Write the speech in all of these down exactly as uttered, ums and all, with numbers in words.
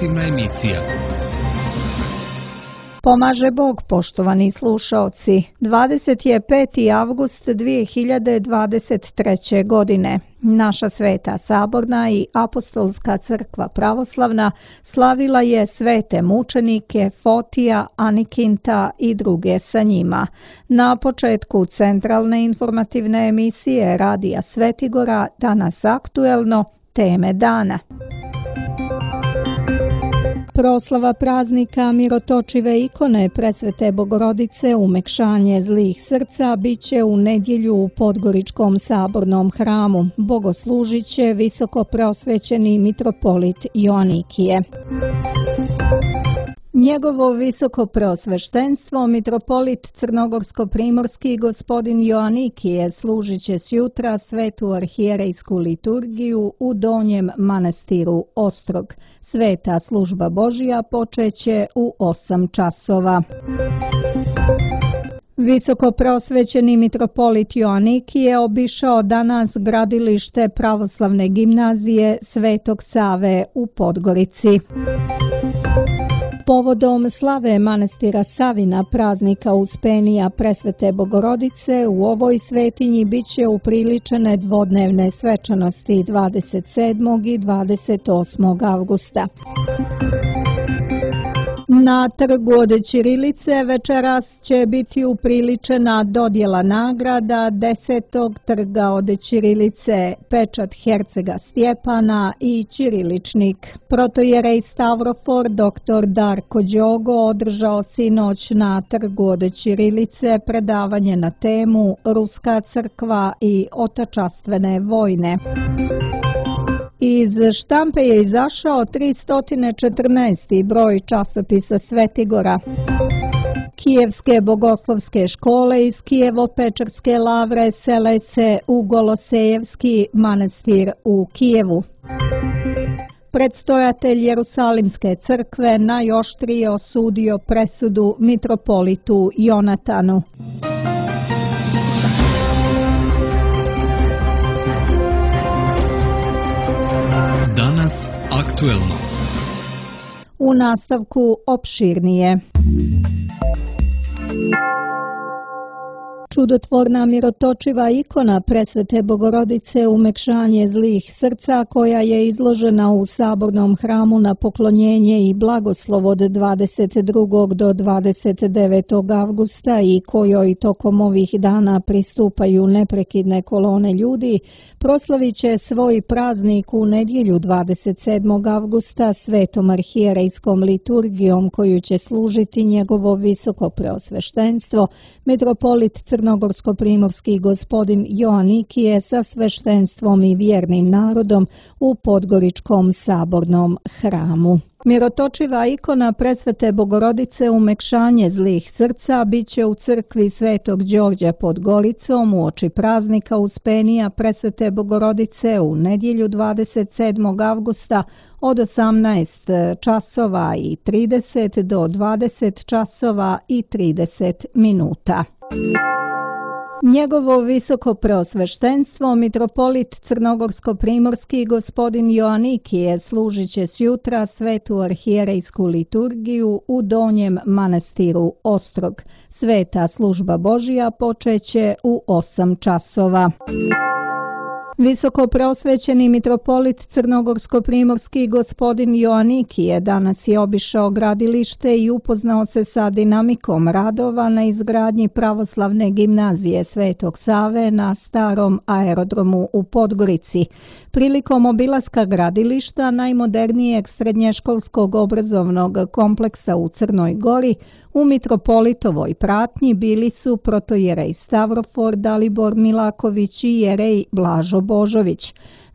informativna emisija. Pomaže Bog, poštovani slušaoci. dvadeset peti avgust dvije hiljade dvadeset treće. godine. Naša Sveta Saborna i Apostolska crkva pravoslavna slavila je svete mučenike Fotija, Anikinta i druge sa njima. Na početku centralne informativne emisije Radija Svetigora danas aktuelno teme dana. Proslava praznika mirotočive ikone Presvete Bogorodice umekšanje zlih srca biće u nedjelju u Podgoričkom sabornom hramu. Bogoslužit će visoko preosvećeni mitropolit Joanikije. Njegovo visoko preosveštenstvo, mitropolit Crnogorsko-primorski gospodin Joanikije, služit će sjutra svetu arhijerejsku liturgiju u Donjem manastiru Ostrog. Sveta služba Božja počeće u osam časova. Visoko preosvećeni mitropolit Joanikije obišao danas gradilište pravoslavne gimnazije Svetog Save u Podgorici. Povodom slave manastira Savina praznika Uspenija Presvete Bogorodice u ovoj svetinji biće upriličene dvodnevne svečanosti dvadeset sedmog i dvadeset osmog avgusta. Na trgu od ćirilice večeras će biti upriličena dodjela nagrada desetog trga od ćirilice, pečat hercega Stjepana i ćiriličnik. Protojerej Stavrofor doktor Darko Đogo održao sinoć na trgu od ćirilice predavanje na temu Ruska crkva i otačastvene vojne. Iz štampe je izašao tristo četrnaesti broj časopisa Svetigora. Kijevske bogoslovske škole iz Kijevo-Pečarske lavre sele se u Golosejevski manastir u Kijevu. Predstojatelj Jerusalimske crkve najoštrije osudio presudu mitropolitu Jonatanu. Danas aktuelno. U nastavku opširnije. Čudotvorna mirotočiva ikona Presvete Bogorodice umekšanje zlih srca koja je izložena u sabornom hramu na poklonjenje i blagoslov od dvadeset drugog do dvadeset devetog avgusta i kojoj tokom ovih dana pristupaju neprekidne kolone ljudi, proslavit će svoj praznik u nedjelju dvadeset sedmog avgusta svetom arhijerejskom liturgijom koju će služiti njegovo visoko preosveštenstvo, mitropolit Crnogorsko-primorski gospodin Joanikije sa sveštenstvom i vjernim narodom u Podgoričkom sabornom hramu. Mirotočiva ikona Presvete Bogorodice umekšanje zlih srca biće u crkvi Svetog Đorđa pod Goricom uoči praznika Uspenija Presvete Bogorodice u nedjelju dvadeset sedmog avgusta od osamnaest časova i trideset do dvadeset časova i trideset minuta. Njegovo visoko preosveštenstvo, mitropolit Crnogorsko-primorski gospodin Joanikije, služit će sjutra svetu arhijerejsku liturgiju u Donjem manastiru Ostrog. Sveta služba Božja počeće u osam časova. Visoko preosvećeni mitropolit Crnogorsko-primorski gospodin Joanikije danas je obišao gradilište i upoznao se sa dinamikom radova na izgradnji pravoslavne gimnazije Svetog Save na starom aerodromu u Podgorici. Prilikom obilaska gradilišta najmodernijeg srednješkolskog obrazovnog kompleksa u Crnoj Gori, u mitropolitovoj pratnji bili su protojerej Stavrofor Dalibor Milaković i jerej Blažo Božović.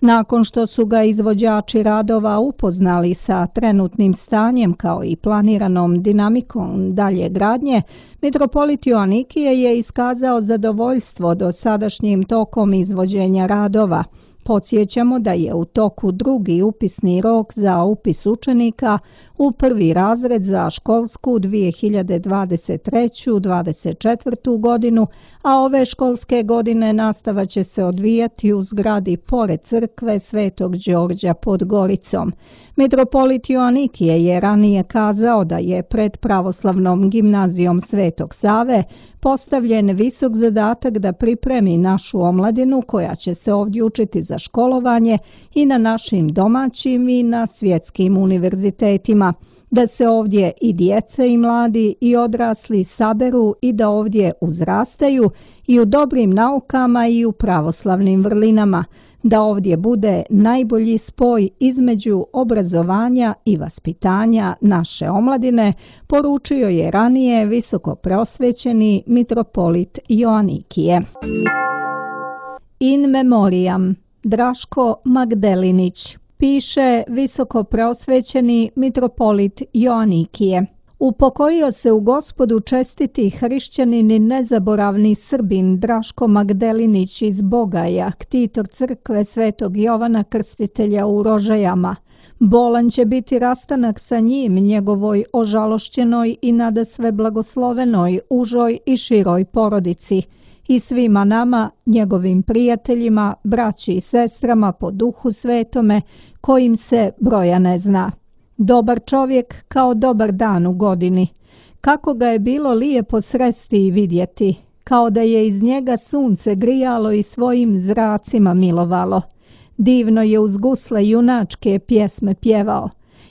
Nakon što su ga izvođači radova upoznali sa trenutnim stanjem kao i planiranom dinamikom dalje gradnje, mitropolit Joanikije je iskazao zadovoljstvo dosadašnjim tokom izvođenja radova. Podsjećamo da je u toku drugi upisni rok za upis učenika u prvi razred za školsku dvije hiljade dvadeset treće dvadeset četvrtu godinu, a ove školske godine nastava će se odvijati u zgradi pored crkve Svetog Đorđa pod Goricom. Mitropolit Joanikije je ranije kazao da je pred pravoslavnom gimnazijom Svetog Save postavljen visok zadatak da pripremi našu omladinu koja će se ovdje učiti za školovanje i na našim domaćim i na svjetskim univerzitetima, da se ovdje i djece i mladi i odrasli saberu i da ovdje uzrastaju i u dobrim naukama i u pravoslavnim vrlinama, da ovdje bude najbolji spoj između obrazovanja i vaspitanja naše omladine, poručio je ranije visoko preosvećeni mitropolit Joanikije. In memoriam Draško Magdelinić, piše visoko preosvećeni mitropolit Joanikije. Upokojio se u Gospodu čestiti hrišćanin i nezaboravni Srbin Draško Magdelinić iz Bogaja, ktitor crkve Svetog Jovana Krstitelja u Rožajama. Bolan će biti rastanak sa njim, njegovoj ožalošćenoj i nadasve blagoslovenoj, užoj i široj porodici i svima nama, njegovim prijateljima, braći i sestrama po duhu svetome, kojim se broja ne zna. Dobar čovjek kao dobar dan u godini. Kako ga je bilo lijepo sresti i vidjeti, kao da je iz njega sunce grijalo i svojim zracima milovalo. Divno je uz gusle junačke pjesme pjevao.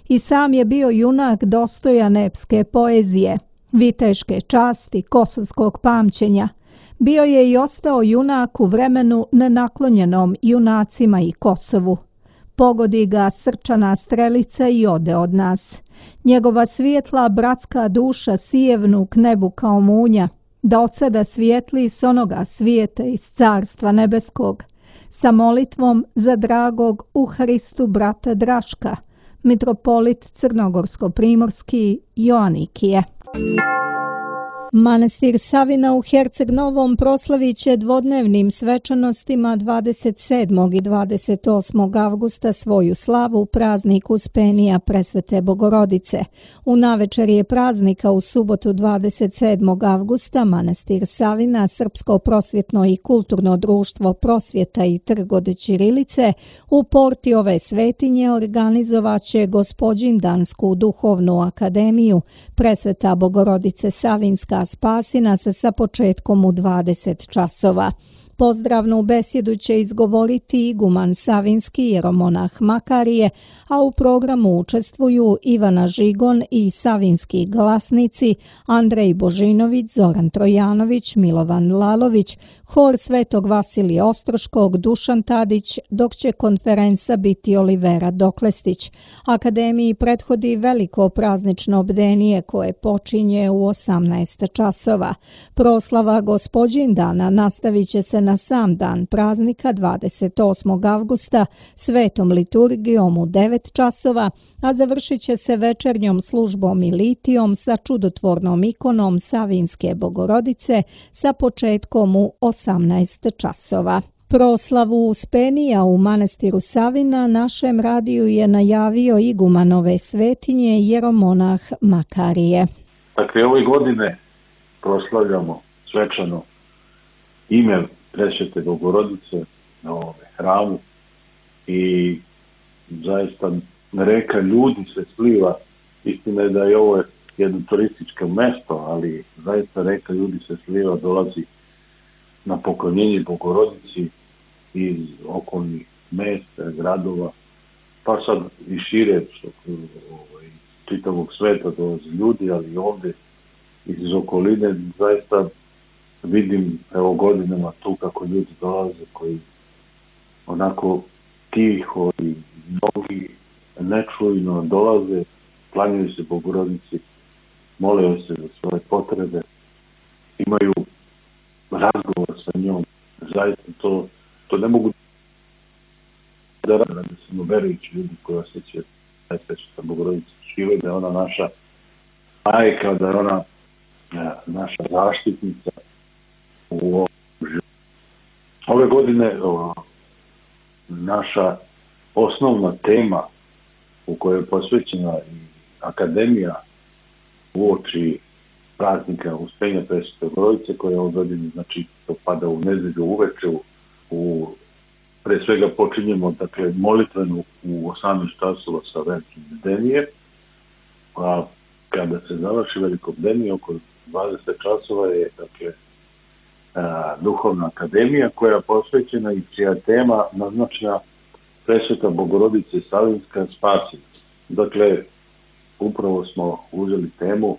I sam je bio junak dostojan epske poezije, viteške časti, kosovskog pamćenja. Bio je i ostao junak u vremenu nenaklonjenom junacima i Kosovu. Pogodi ga srčana strelica i ode od nas. Njegova svijetla bratska duša sijevnu k nebu kao munja, da od sada svijetli s onoga svijeta iz carstva nebeskog, sa molitvom za dragog u Hristu brata Draška, mitropolit Crnogorsko-primorski Joanikije. Manastir Savina u Herceg Novom proslavit će dvodnevnim svečanostima dvadeset sedmog i dvadeset osmog avgusta svoju slavu u prazniku Uspenija Presvete Bogorodice. U navečerje praznika u subotu dvadeset sedmog avgusta Manastir Savina, Srpsko prosvjetno i kulturno društvo Prosvjeta i trg od ćirilice u porti ove svetinje organizovat će Gospođindansku duhovnu akademiju Presveta Bogorodice Savinska spasi nas sa početkom u dvadeset časova. Pozdravnu besjedu će izgovoriti iguman Savinski jeromonah Makarije, a u programu učestvuju Ivana Žigon i savinski glasnici Andrej Božinović, Zoran Trojanović, Milovan Lalović, hor Svetog Vasilija Ostroškog, Dušan Tadić, dok će konferenca biti Olivera Doklestić. Akademiji prethodi veliko praznično bdenije koje počinje u osamnaest časova. Proslava Gospođindana nastavit će se na sam dan praznika dvadeset osmog avgusta svetom liturgijom u devet časova, a završit će se večernjom službom i litijom sa čudotvornom ikonom Savinske Bogorodice sa početkom u osamnaest časova. Proslavu Uspenija u manastiru Savina našem radiju je najavio iguman ove svetinje jeromonah Makarije. Dakle, ove godine proslavljamo svečano ime Presvete Bogorodice na ovome hramu i zaista reka ljudi se sliva. Istina je da je ovo jedno turističko mesto, ali zaista reka ljudi se sliva, dolazi na poklonjenje Bogorodici iz okolnih mesta, gradova, pa sad i šire ovaj, čitavog sveta dolazi ljudi, ali ovdje iz okoline zaista vidim evo godinama tu kako ljudi dolaze koji onako tiho i mnogi nečujno dolaze, klanjaju se Bogorodici, mole se za svoje potrebe, imaju razgovor sa njom. Zaista to, to ne mogu da rade, da smo verujući ljudi koji osjećaju zaista što Bogorodica žive, da je ona naša majka, da je ona naša zaštitnica u ovom životu. Ove godine o, naša osnovna tema u kojoj je posvećena i akademija uoči praznika Uspenja Presvete Bogorodice, koja od godine, znači, to pada u nedelju uveče, u, pre svega počinjemo, dakle, molitvenu u osamnaest časova sa velikim bdenije, a kada se završi veliko bdenije, oko dvadeset časova je, dakle, a, duhovna akademija koja je posvećena i čija tema naznačena Presveta Bogorodice Savinska spasitelj. Dakle, upravo smo uzeli temu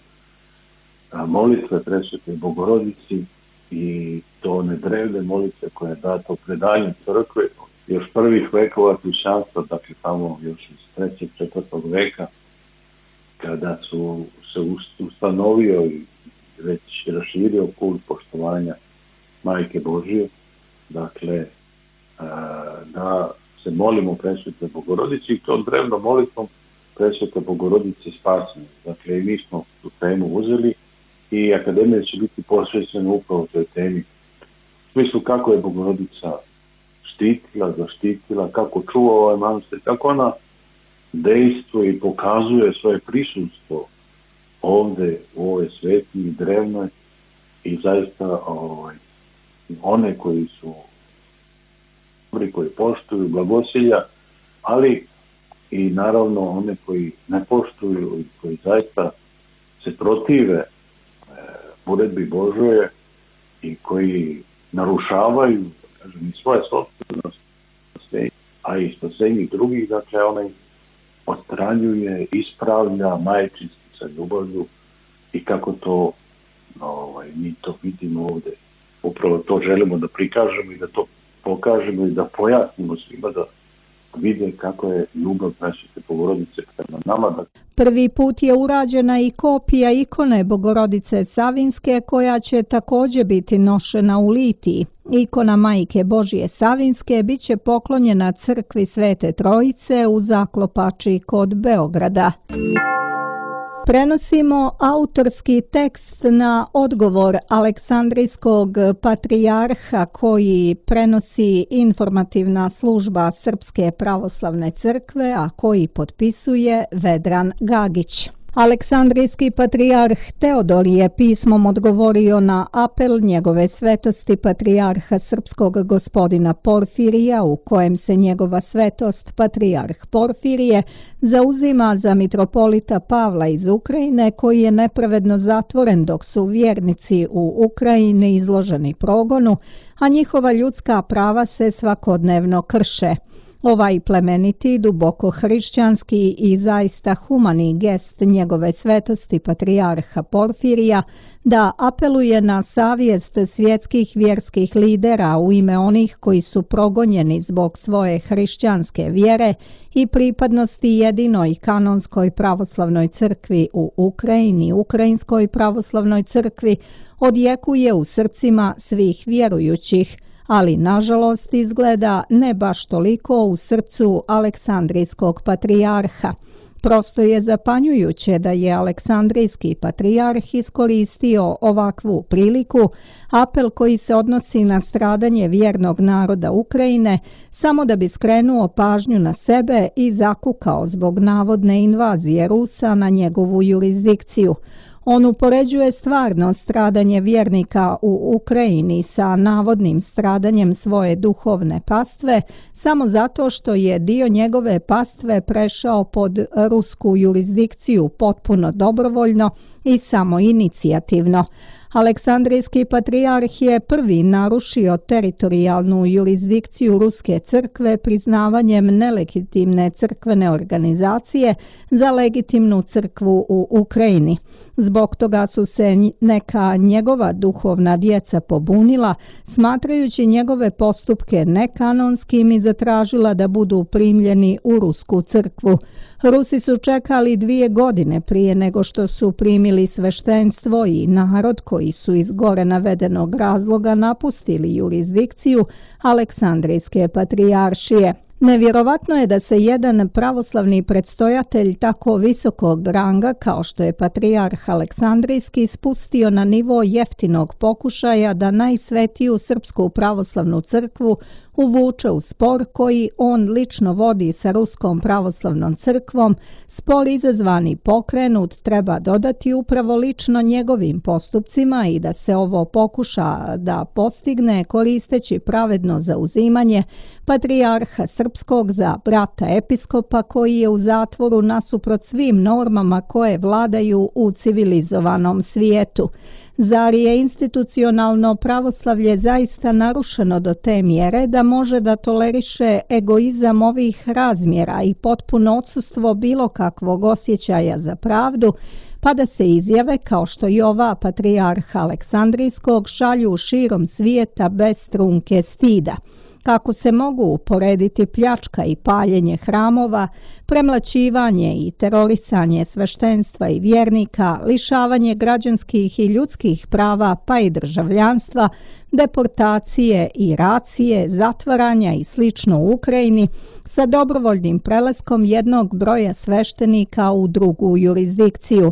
a, molitve Presvete Bogorodici i to one drevne molitve koje je dato predanjem crkve još prvih vekova hrišćanstva, dakle tamo još iz trećeg, četvrtog veka, kada su se ustanovio i već raširio kult poštovanja Majke Božije, dakle da se molimo Presvete Bogorodici i to drevnom molitvom Presvete Bogorodice spasitelj. Dakle, i mi smo tu temu uzeli i akademija će biti posvećena upravo toj temi. U smislu kako je Bogorodica štitila, zaštitila, kako čuva ovaj manastir, kako ona dejstvuje i pokazuje svoje prisustvo ovde u ovoj svetinji drevnoj i zaista ovaj, one koji su dobri, koji poštuju blagosilja, ali i naravno one koji ne poštuju i koji zaista se protive e, uredbi Božje i koji narušavaju, kažem, i svoje sopstveno spasenje, a i spasenje drugih, dakle onaj odstranjuje, ispravlja majčinski sa ljubavlju i kako to ovaj, mi to vidimo ovde. Upravo to želimo da prikažemo i da to pokažemo i da pojasnimo svima da vide kako je ljubav Presvete Bogorodice prema nama. Da... Prvi put je urađena i kopija ikone Bogorodice Savinske koja će također biti nošena u litiji. Ikona Majke Božije Savinske bit će poklonjena crkvi Svete Trojice u Zaklopači kod Beograda. Prenosimo autorski tekst na odgovor Aleksandrijskog patrijarha koji prenosi informativna služba Srpske pravoslavne crkve, a koji potpisuje Vedran Gagić. Aleksandrijski patrijarh Teodor je pismom odgovorio na apel njegove svetosti patrijarha srpskog gospodina Porfirija, u kojem se njegova svetost patrijarh Porfirije zauzima za mitropolita Pavla iz Ukrajine, koji je nepravedno zatvoren dok su vjernici u Ukrajini izloženi progonu, a njihova ljudska prava se svakodnevno krše. Ovaj plemeniti, duboko hrišćanski i zaista humani gest njegove svetosti patrijarha Porfirija da apeluje na savjest svjetskih vjerskih lidera u ime onih koji su progonjeni zbog svoje hrišćanske vjere i pripadnosti jedinoj kanonskoj pravoslavnoj crkvi u Ukrajini, Ukrajinskoj pravoslavnoj crkvi, odjekuje u srcima svih vjerujućih, ali nažalost izgleda ne baš toliko u srcu Aleksandrijskog patrijarha. Prosto je zapanjujuće da je Aleksandrijski patrijarh iskoristio ovakvu priliku, apel koji se odnosi na stradanje vjernog naroda Ukrajine, samo da bi skrenuo pažnju na sebe i zakukao zbog navodne invazije Rusa na njegovu jurisdikciju. On upoređuje stvarno stradanje vjernika u Ukrajini sa navodnim stradanjem svoje duhovne pastve, samo zato što je dio njegove pastve prešao pod rusku jurisdikciju potpuno dobrovoljno i samoinicijativno. Aleksandrijski patrijarh je prvi narušio teritorijalnu jurisdikciju Ruske crkve priznavanjem nelegitimne crkvene organizacije za legitimnu crkvu u Ukrajini. Zbog toga su se neka njegova duhovna djeca pobunila, smatrajući njegove postupke nekanonskim i zatražila da budu primljeni u Rusku crkvu. Rusi su čekali dvije godine prije nego što su primili sveštenstvo i narod koji su iz gore navedenog razloga napustili jurisdikciju Aleksandrijske patrijaršije. Nevjerovatno je da se jedan pravoslavni predstojatelj tako visokog ranga kao što je patrijarh Aleksandrijski spustio na nivo jeftinog pokušaja da najsvetiju Srpsku pravoslavnu crkvu uvuče u spor koji on lično vodi sa Ruskom pravoslavnom crkvom Spor izazvani pokrenut treba dodati upravo lično njegovim postupcima i da se ovo pokuša da postigne koristeći pravedno zauzimanje patrijarha srpskog za brata episkopa koji je u zatvoru nasuprot svim normama koje vladaju u civilizovanom svijetu. Zar je institucionalno pravoslavlje zaista narušeno do te mjere da može da toleriše egoizam ovih razmjera i potpuno odsustvo bilo kakvog osjećaja za pravdu, pa da se izjave kao što i ova patrijarha Aleksandrijskog šalju širom svijeta bez trunke stida? Kako se mogu uporediti pljačka i paljenje hramova, premlaćivanje i terorisanje sveštenstva i vjernika, lišavanje građanskih i ljudskih prava pa i državljanstva, deportacije i racije, zatvaranja i slično u Ukrajini sa dobrovoljnim prelaskom jednog broja sveštenika u drugu jurisdikciju?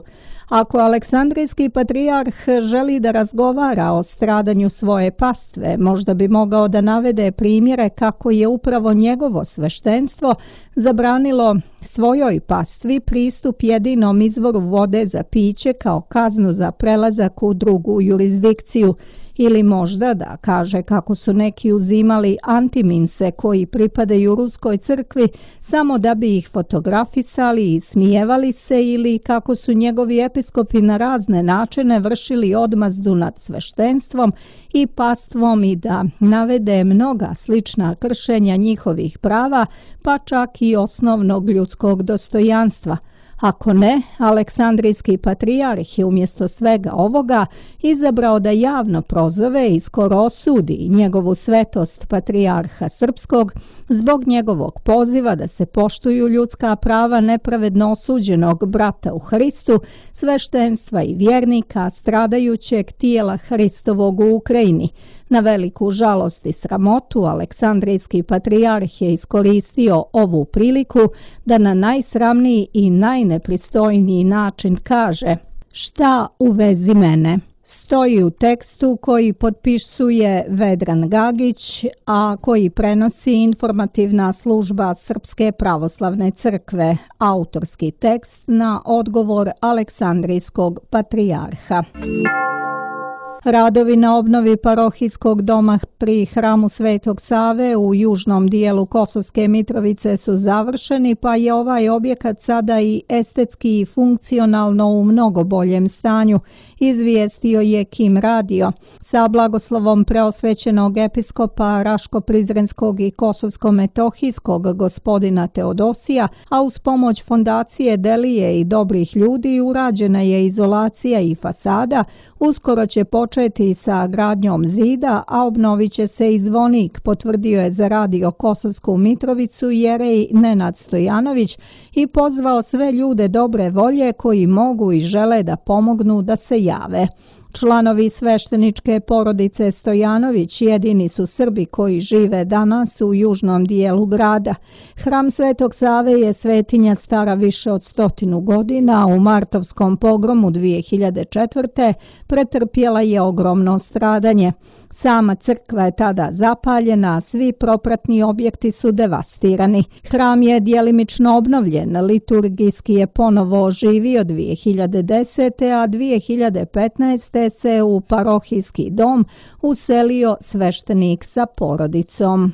Ako Aleksandrijski patrijarh želi da razgovara o stradanju svoje pastve, možda bi mogao da navede primjere kako je upravo njegovo sveštenstvo zabranilo svojoj pastvi pristup jedinom izvoru vode za piće kao kaznu za prelazak u drugu jurisdikciju, ili možda da kaže kako su neki uzimali antiminse koji pripadaju Ruskoj crkvi samo da bi ih fotografisali i smijevali se, ili kako su njegovi episkopi na razne načine vršili odmazdu nad sveštenstvom i pastvom i da navede mnoga slična kršenja njihovih prava, pa čak i osnovnog ljudskog dostojanstva. Ako ne, Aleksandrijski patrijarh je umjesto svega ovoga izabrao da javno prozove i skoro osudi njegovu svetost patrijarha srpskog zbog njegovog poziva da se poštuju ljudska prava nepravedno osuđenog brata u Hristu, sveštenstva i vjernika, stradajućeg tijela Hristovog u Ukrajini. Na veliku žalost i sramotu Aleksandrijski patrijarh je iskoristio ovu priliku da na najsramniji i najnepristojniji način kaže: "Šta u vezi mene?" Stoji u tekstu koji potpisuje Vedran Gagić, a koji prenosi informativna služba Srpske pravoslavne crkve, autorski tekst na odgovor Aleksandrijskog patrijarha. Radovi na obnovi parohijskog doma pri hramu Svetog Save u južnom dijelu Kosovske Mitrovice su završeni, pa je ovaj objekat sada i estetski i funkcionalno u mnogo boljem stanju, izvijestio je Kim Radio. Sa blagoslovom preosvećenog episkopa Raško-Prizrenskog i Kosovsko-Metohijskog gospodina Teodosija, a uz pomoć fondacije Delije i dobrih ljudi urađena je izolacija i fasada, uskoro će početi sa gradnjom zida, a obnovit će se i zvonik, potvrdio je za Radio Kosovsku Mitrovicu jerej Nenad Stojanović i pozvao sve ljude dobre volje koji mogu i žele da pomognu da se jave. Članovi svešteničke porodice Stojanović jedini su Srbi koji žive danas u južnom dijelu grada. Hram Svetog Save je svetinja stara više od stotinu godina, u martovskom pogromu dvije hiljade četvrte. pretrpjela je ogromno stradanje. Sama crkva je tada zapaljena, a svi propratni objekti su devastirani. Hram je djelimično obnovljen, liturgijski je ponovo oživio dvije hiljade desete. a dvije hiljade petnaeste. se u parohijski dom uselio sveštenik sa porodicom.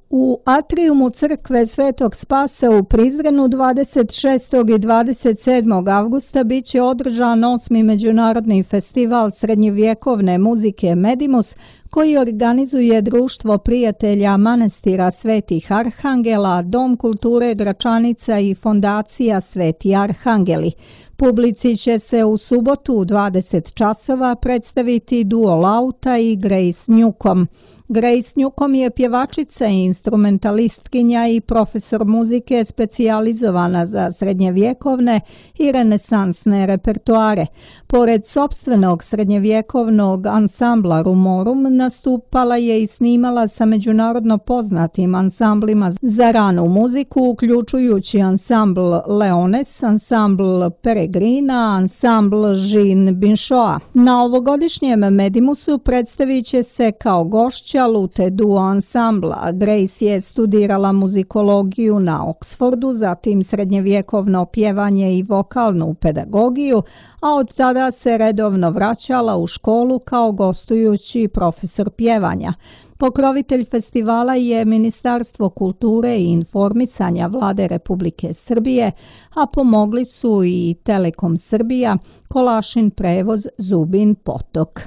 U atrijumu crkve Svetog Spasa u Prizrenu dvadeset šestog i dvadeset sedmog avgusta bit će održan osmi međunarodni festival srednjevjekovne muzike Medimus, koji organizuje Društvo prijatelja manastira Svetih Arhangela, Dom kulture Gračanica i fondacija Sveti Arhangeli. Publici će se u subotu u dvadeset časova predstaviti duo Lauta i Grace Newcomb. Grace Newcomb je pjevačica i instrumentalistkinja i profesor muzike specijalizovana za srednjevjekovne i renesansne repertoare. Pored sopstvenog srednjevjekovnog ansambla Rumorum, nastupala je i snimala sa međunarodno poznatim ansamblima za ranu muziku, uključujući ansambl Leones, ansambl Peregrina, ansambl Jean Binchoa. Na ovogodišnjem Medimusu predstavit će se kao gošća vodeća Lute Duo ansambla. Grace je studirala muzikologiju na Oxfordu, zatim srednjevjekovno pjevanje i vokalnu pedagogiju, a od tada se redovno vraćala u školu kao gostujući profesor pjevanja. Pokrovitelj festivala je Ministarstvo kulture i informisanja Vlade Republike Srbije, a pomogli su i Telekom Srbija, Kolašin prevoz, Zubin potok.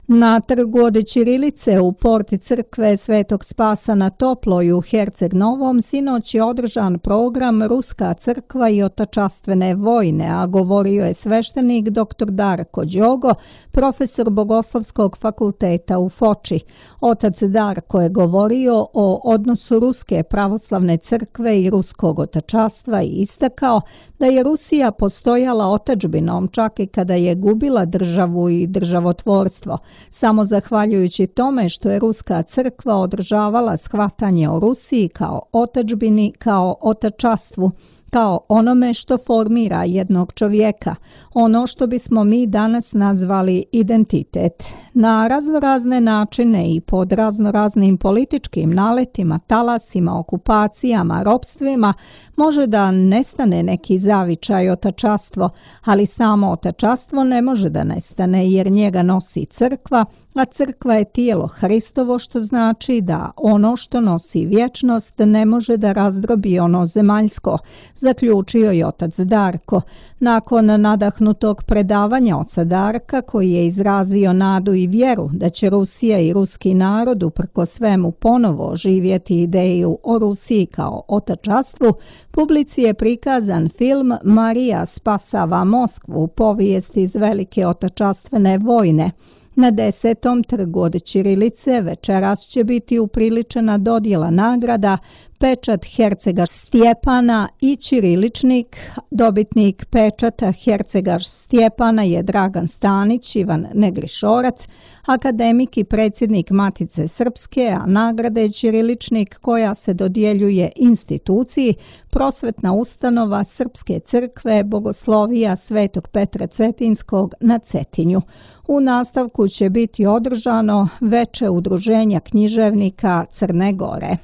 Na trgu od ćirilice u porti crkve Svetog Spasa na Toploj u Herceg Novom sinoć je održan program Ruska crkva i otačastvene vojne, a govorio je sveštenik doktor Darko Đogo, profesor Bogoslovskog fakulteta u Foči. Otac Darko je govorio o odnosu Ruske pravoslavne crkve i ruskog otačastva i istakao da je Rusija postojala otadžbinom čak i kada je gubila državu i državotvorstvo. Samo zahvaljujući tome što je Ruska crkva održavala shvatanje o Rusiji kao otadžbini, kao otačastvu, kao onome što formira jednog čovjeka, ono što bismo mi danas nazvali identitet. Na raznorazne načine i pod raznoraznim političkim naletima, talasima, okupacijama, ropstvima može da nestane neki zavičaj otačastvo, ali samo otačastvo ne može da nestane jer njega nosi crkva, a crkva je tijelo Hristovo, što znači da ono što nosi vječnost ne može da razdrobi ono zemaljsko, zaključio je otac Darko. Nakon nadahnutog predavanja oca Darka, koji je izrazio nadu i vjeru da će Rusija i ruski narod uprko svemu ponovo živjeti ideju o Rusiji kao otačastvu, publici je prikazan film Marija spasava Moskvu, povijest iz velike otačastvene vojne. Na desetom trgu od ćirilice večeras će biti upriličena dodjela nagrada Pečat Hercegaš Stjepana i ćiriličnik. Dobitnik pečata Hercegaš Stjepana je Dragan Stanić, Ivan Negrišorac, akademik i predsjednik Matice Srpske, a nagrada je ćiriličnik koja se dodjeljuje instituciji Prosvetna ustanova Srpske crkve Bogoslovija Svetog Petra Cetinskog na Cetinju. U nastavku će biti održano veče udruženja književnika Crne Gore.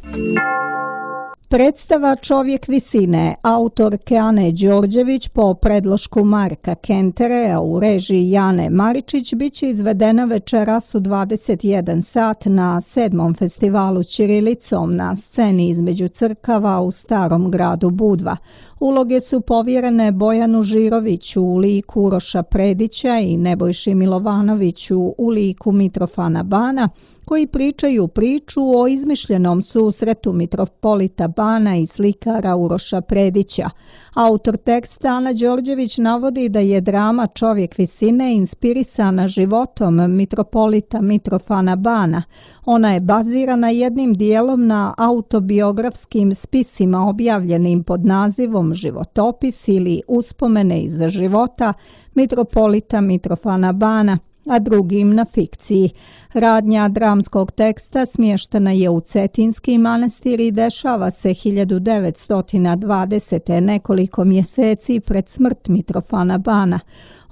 Predstava Čovjek visine autorke Ane Đorđević po predlošku Marka Kenterea u režiji Jane Maričić biće izvedena večeras u dvadeset jedan sat na sedmom festivalu ćirilicom na sceni između crkava u Starom gradu Budva. Uloge su povjerene Bojanu Žiroviću u liku Uroša Predića i Nebojši Milovanoviću u liku Mitrofana Bana, koji pričaju priču o izmišljenom susretu mitropolita Bana i slikara Uroša Predića. Autor teksta Ana Đorđević navodi da je drama Čovjek visine inspirisana životom mitropolita Mitrofana Bana. Ona je bazirana jednim dijelom na autobiografskim spisima objavljenim pod nazivom Životopis ili Uspomene iz života mitropolita Mitrofana Bana, a drugim na fikciji. Radnja dramskog teksta smještena je u Cetinski manastir i dešava se hiljadu devetsto dvadesete. nekoliko mjeseci pred smrt Mitrofana Bana.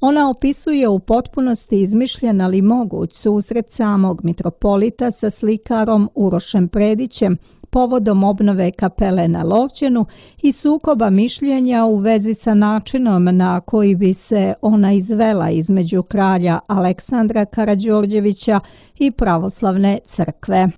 Ona opisuje u potpunosti izmišljen ali moguć susret samog mitropolita sa slikarom Urošem Predićem povodom obnove kapele na Lovćenu i sukoba mišljenja u vezi sa načinom na koji bi se ona izvela između kralja Aleksandra Karađorđevića i pravoslavne crkve.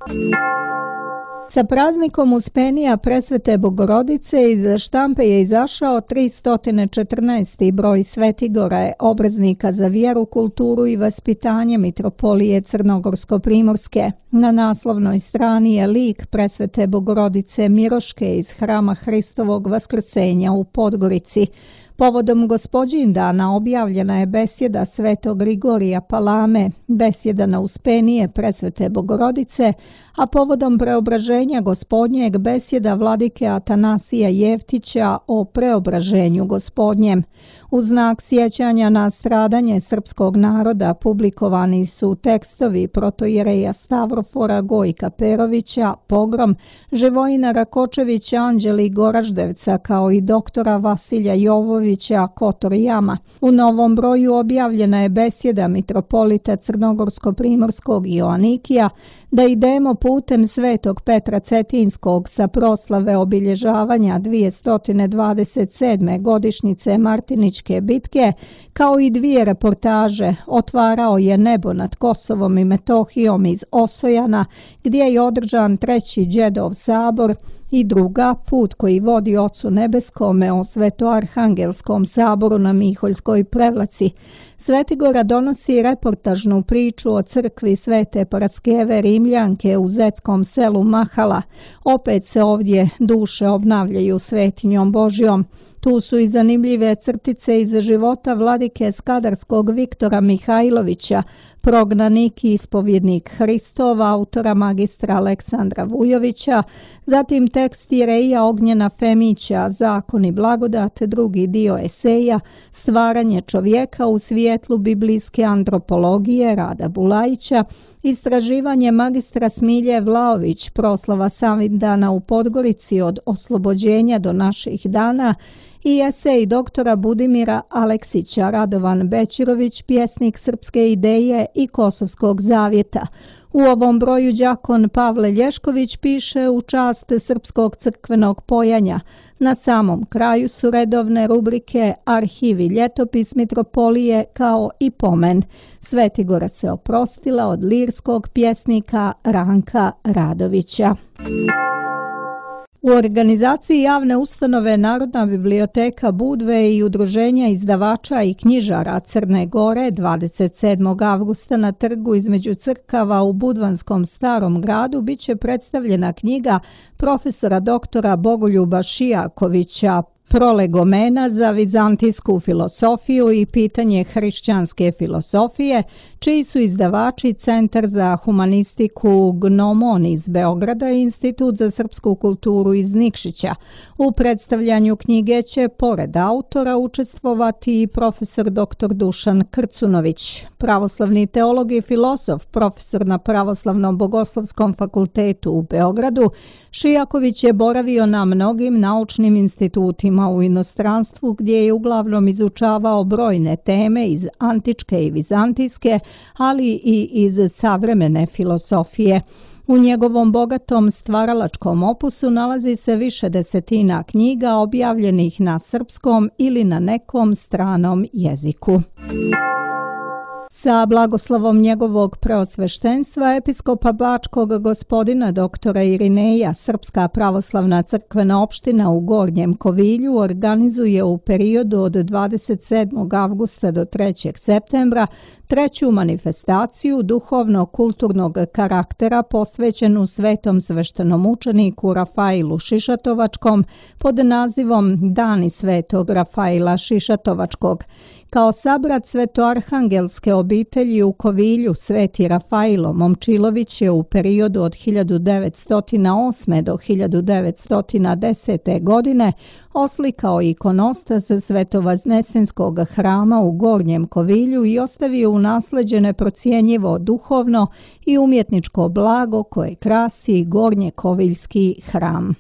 Sa praznikom Uspenija Presvete Bogorodice iz štampe je izašao tristo četrnaesti broj Svetigora, obraznika za vjeru, kulturu i vaspitanje Mitropolije Crnogorsko-Primorske. Na naslovnoj strani je lik Presvete Bogorodice Miroške iz Hrama Hristovog Vaskrsenja u Podgorici. Povodom Gospođindana objavljena je besjeda Svetog Grigorija Palame, besjeda na Uspenije Presvete Bogorodice, a povodom preobraženja Gospodnjeg besjeda vladike Atanasija Jeftića o preobraženju Gospodnjem. U znak sjećanja na stradanje srpskog naroda publikovani su tekstovi protoijereja Stavrofora Gojka Perovića, Pogrom, Živojina Rakočevića, Anđeli Goraždevca kao i doktora Vasilja Jovovića, Kotor Jama. U novom broju objavljena je besjeda mitropolita Crnogorsko-primorskog Joanikija da idemo putem Svetog Petra Cetinskog sa proslave obilježavanja dvjesto dvadeset sedme godišnjice Martiničke bitke, kao i dvije reportaže Otvarao je nebo nad Kosovom i Metohijom iz Osojana, gdje je održan treći Đedov sabor, i druga Put koji vodi Ocu nebeskome o Svetoarhangelskom saboru na Miholjskoj Prevlaci. Svetigora donosi reportažnu priču o crkvi Svete Paraskeve Rimljanke u zetskom selu Mahala. Opet se ovdje duše obnavljaju svetinjom Božjom. Tu su i zanimljive crtice iz života vladike Skadarskog Viktora Mihajlovića, prognanik i ispovjednik Hristov, autora magistra Aleksandra Vujovića, zatim tekst Ireja Ognjena Femića, Zakon i blagodat, drugi dio eseja, Stvaranje čovjeka u svijetlu biblijske antropologije Rada Bulajića, istraživanje magistra Smilje Vlaović, proslava Savindana u Podgorici od oslobođenja do naših dana, i esej doktora Budimira Aleksića, Radovan Bećirović, pjesnik srpske ideje i Kosovskog zavjeta. U ovom broju đakon Pavle Lješković piše u čast srpskog crkvenog pojanja. Na samom kraju su redovne rubrike Arhiv i ljetopis mitropolije kao i pomen. Svetigora se oprostila od lirskog pjesnika Ranka Radovića. U organizaciji javne ustanove Narodna biblioteka Budve i Udruženja izdavača i knjižara Crne Gore dvadeset sedmog avgusta na trgu između crkava u Budvanskom Starom gradu biće predstavljena knjiga profesora doktora Bogoljuba Šijakovića Prolegomena za vizantijsku filosofiju i pitanje hrišćanske filosofije, čiji su izdavači Centar za humanistiku Gnomon iz Beograda i Institut za srpsku kulturu iz Nikšića. U predstavljanju knjige će pored autora učestvovati i profesor doktor Dušan Krcunović, pravoslavni teolog i filosof, profesor na Pravoslavnom bogoslovskom fakultetu u Beogradu. Šijaković je boravio na mnogim naučnim institutima u inostranstvu gdje je uglavnom izučavao brojne teme iz antičke i vizantijske, ali i iz savremene filosofije. U njegovom bogatom stvaralačkom opusu nalazi se više desetina knjiga objavljenih na srpskom ili na nekom stranom jeziku. Sa blagoslovom njegovog preosveštenstva episkopa Bačkog gospodina doktora Irineja, Srpska pravoslavna crkvena opština u Gornjem Kovilju organizuje u periodu od dvadeset sedmog avgusta do trećeg septembra treću manifestaciju duhovno-kulturnog karaktera posvećenu svetom sveštenom učeniku Rafailu Šišatovačkom pod nazivom Dani svetog Rafaila Šišatovačkog. Kao sabrat svetoarhangelske obitelji u Kovilju, Sveti Rafailo Momčilović je u periodu od hiljadu devetsto osme do hiljadu devetsto desete. godine oslikao ikonostas Svetovaznesenskog hrama u Gornjem Kovilju i ostavio u nasleđe neprocjenjivo duhovno i umjetničko blago koje krasi Gornjekoviljski hram.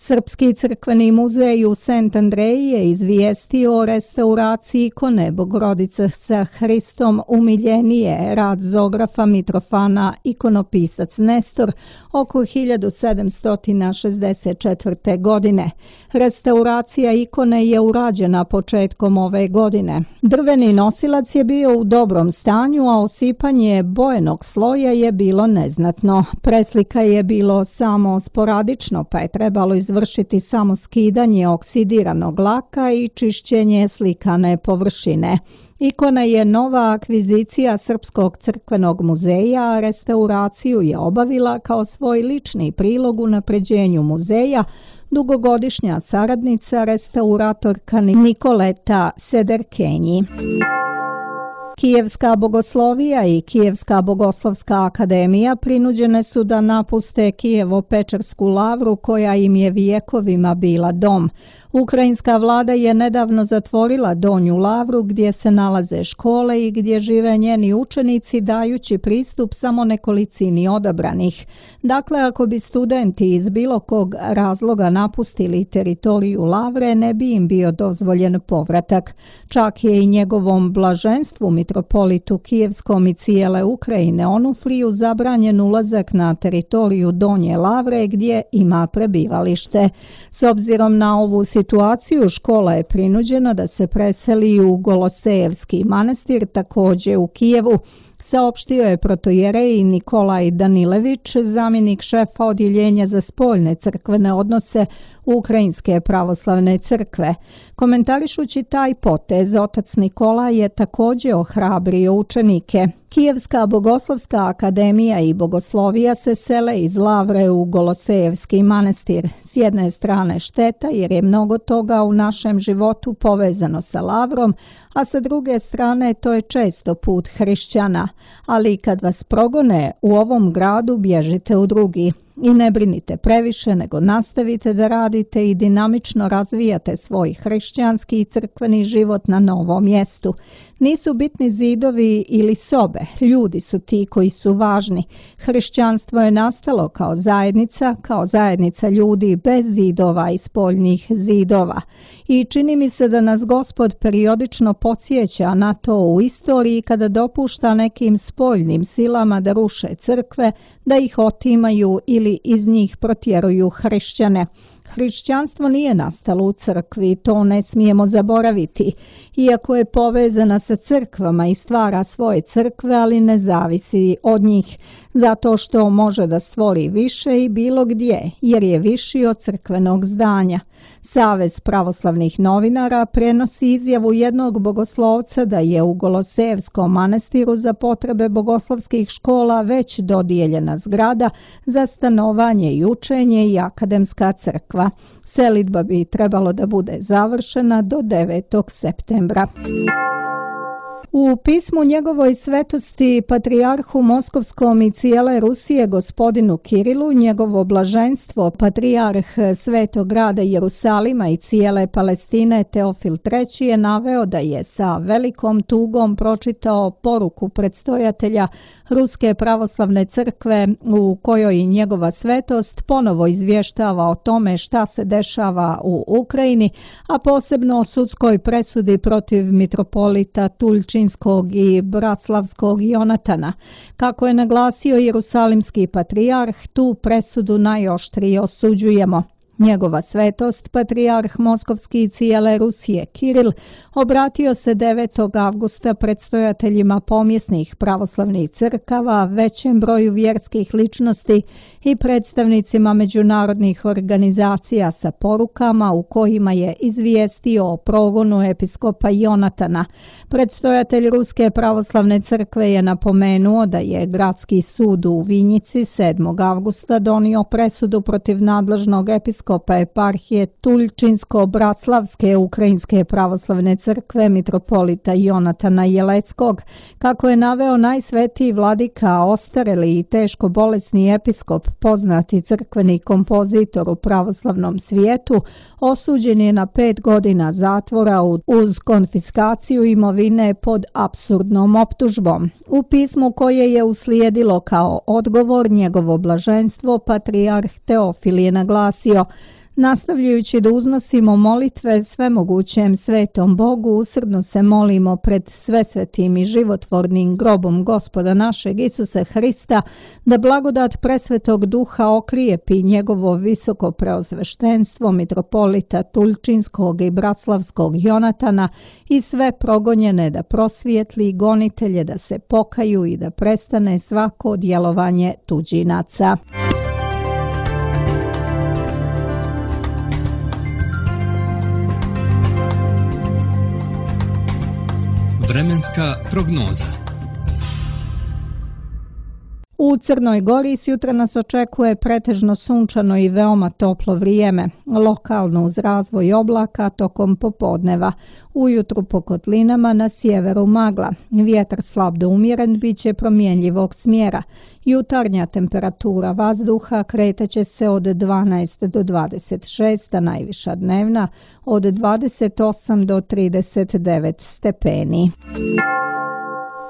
Srpski crkveni muzej u Sent Andreji je izvijestio o restauraciji ikone Bogorodice sa Hristom umiljenije, rad zografa Mitrofana, ikonopisac Nestor, oko hiljadu sedamsto šezdeset četvrte. godine. Restauracija ikone je urađena početkom ove godine. Drveni nosilac je bio u dobrom stanju, a osipanje bojenog sloja je bilo neznatno. Preslika je bilo samo sporadično, pa je trebalo izvršiti samo skidanje oksidiranog laka i čišćenje slikane površine. Ikona je nova akvizicija Srpskog crkvenog muzeja, a restauraciju je obavila kao svoj lični prilog unapređenju muzeja dugogodišnja saradnica restauratorka Nikoleta Sederkenji. Kijevska bogoslovija i Kijevska bogoslovska akademija prinuđene su da napuste Kijevo-Pečersku lavru koja im je vijekovima bila dom. Ukrajinska vlada je nedavno zatvorila Donju lavru gdje se nalaze škole i gdje žive njeni učenici dajući pristup samo nekolicini odabranih. Dakle, ako bi studenti iz bilo kog razloga napustili teritoriju lavre, ne bi im bio dozvoljen povratak. Čak je i njegovom blaženstvu mitropolitu Kijevskom i cijele Ukrajine Onufriju zabranjen ulazak na teritoriju Donje lavre gdje ima prebivalište. S obzirom na ovu situaciju, škola je prinuđena da se preseli u Golosejevski manastir, također u Kijevu, saopštio je protojerej Nikolaj Danilević, zamjenik šefa odjeljenja za spoljne crkvene odnose Ukrajinske pravoslavne crkve. Komentarišući taj potez, otac Nikola je također ohrabrio učenike. Kijevska bogoslovska akademija i bogoslovija se sele iz lavre u Golosejevski manastir. S jedne strane šteta jer je mnogo toga u našem životu povezano sa lavrom, a sa druge strane to je često put hrišćana. Ali kad vas progone u ovom gradu, bježite u drugi. I ne brinite previše, nego nastavite da radite i dinamično razvijate svoj hrišćanski i crkveni život na novom mjestu. Nisu bitni zidovi ili sobe, ljudi su ti koji su važni. Hrišćanstvo je nastalo kao zajednica, kao zajednica ljudi bez zidova i spoljnih zidova. I čini mi se da nas Gospod periodično podsjeća na to u istoriji kada dopušta nekim spoljnim silama da ruše crkve, da ih otimaju ili iz njih protjeruju hrišćane. Hrišćanstvo nije nastalo u crkvi, to ne smijemo zaboraviti. Iako je povezana sa crkvama i stvara svoje crkve, ali ne zavisi od njih, zato što može da stvori više i bilo gdje, jer je viši od crkvenog zdanja. Savez pravoslavnih novinara prenosi izjavu jednog bogoslovca da je u Golosejevskom manastiru za potrebe bogoslovskih škola već dodijeljena zgrada za stanovanje i učenje i akademska crkva. Selidba bi trebalo da bude završena do devetog septembra. U pismu njegovoj svetosti patrijarhu Moskovskom i cijele Rusije gospodinu Kirilu, njegovo blaženstvo patrijarh Svetog grada Jerusalima i cijele Palestine Teofil treći je naveo da je sa velikom tugom pročitao poruku predstojatelja Ruske pravoslavne crkve u kojoj njegova svetost ponovo izvještava o tome šta se dešava u Ukrajini, a posebno o sudskoj presudi protiv mitropolita Tulčinskog i Braslavskog Jonatana. Kako je naglasio jerusalimski patrijarh, tu presudu najoštrije osuđujemo. Njegova svetost, patrijarh Moskovski i cijele Rusije Kiril, obratio se devetog avgusta predstojateljima pomjesnih pravoslavnih crkava, većem broju vjerskih ličnosti i predstavnicima međunarodnih organizacija sa porukama u kojima je izvijestio o progonu episkopa Jonatana. Predstojatelj Ruske pravoslavne crkve je napomenuo da je gradski sud u Vinjici sedmog avgusta donio presudu protiv nadležnog episkopa eparhije Tulčinsko-Braslavske Ukrajinske pravoslavne crkve mitropolita Jonatana Jeleckog. Kako je naveo najsvetiji vladika, ostareli i teško bolesni episkop, poznati crkveni kompozitor u pravoslavnom svijetu, osuđen je na pet godina zatvora uz konfiskaciju imovine pod apsurdnom optužbom. U pismu koje je uslijedilo kao odgovor, njegovo blaženstvo patrijarh Teofil je naglasio: nastavljajući da uznosimo molitve svemogućem svetom Bogu, usrdno se molimo pred svesvetim i životvornim grobom Gospoda našeg Isusa Hrista, da blagodat presvetog duha okrijepi njegovo visoko preosveštenstvo mitropolita Tulčinskog i Braslavskog Jonatana i sve progonjene da prosvijetli, gonitelje da se pokaju i da prestane svako djelovanje tuđinaca. Vremenska prognoza. U Crnoj Gori sjutra nas očekuje pretežno sunčano i veoma toplo vrijeme, lokalno uz razvoj oblaka tokom popodneva. Ujutru po kotlinama na sjeveru magla. Vjetar slab do umjeren bit će promjenjivog smjera. Jutarnja temperatura vazduha kreteće se od dvanaest do dvadeset šest, a najviša dnevna od dvadeset osam do trideset devet stepeni.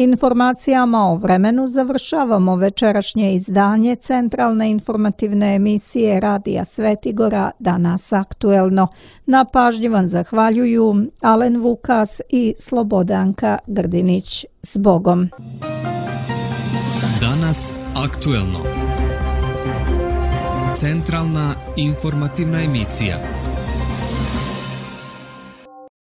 Informacijama o vremenu završavamo večerašnje izdanje centralne informativne emisije Radija Svetigora Danas aktuelno. Na pažnji vam zahvaljuju Alen Vukas i Slobodanka Grdinić. S Bogom! Danas aktuelno. Centralna informativna emisija.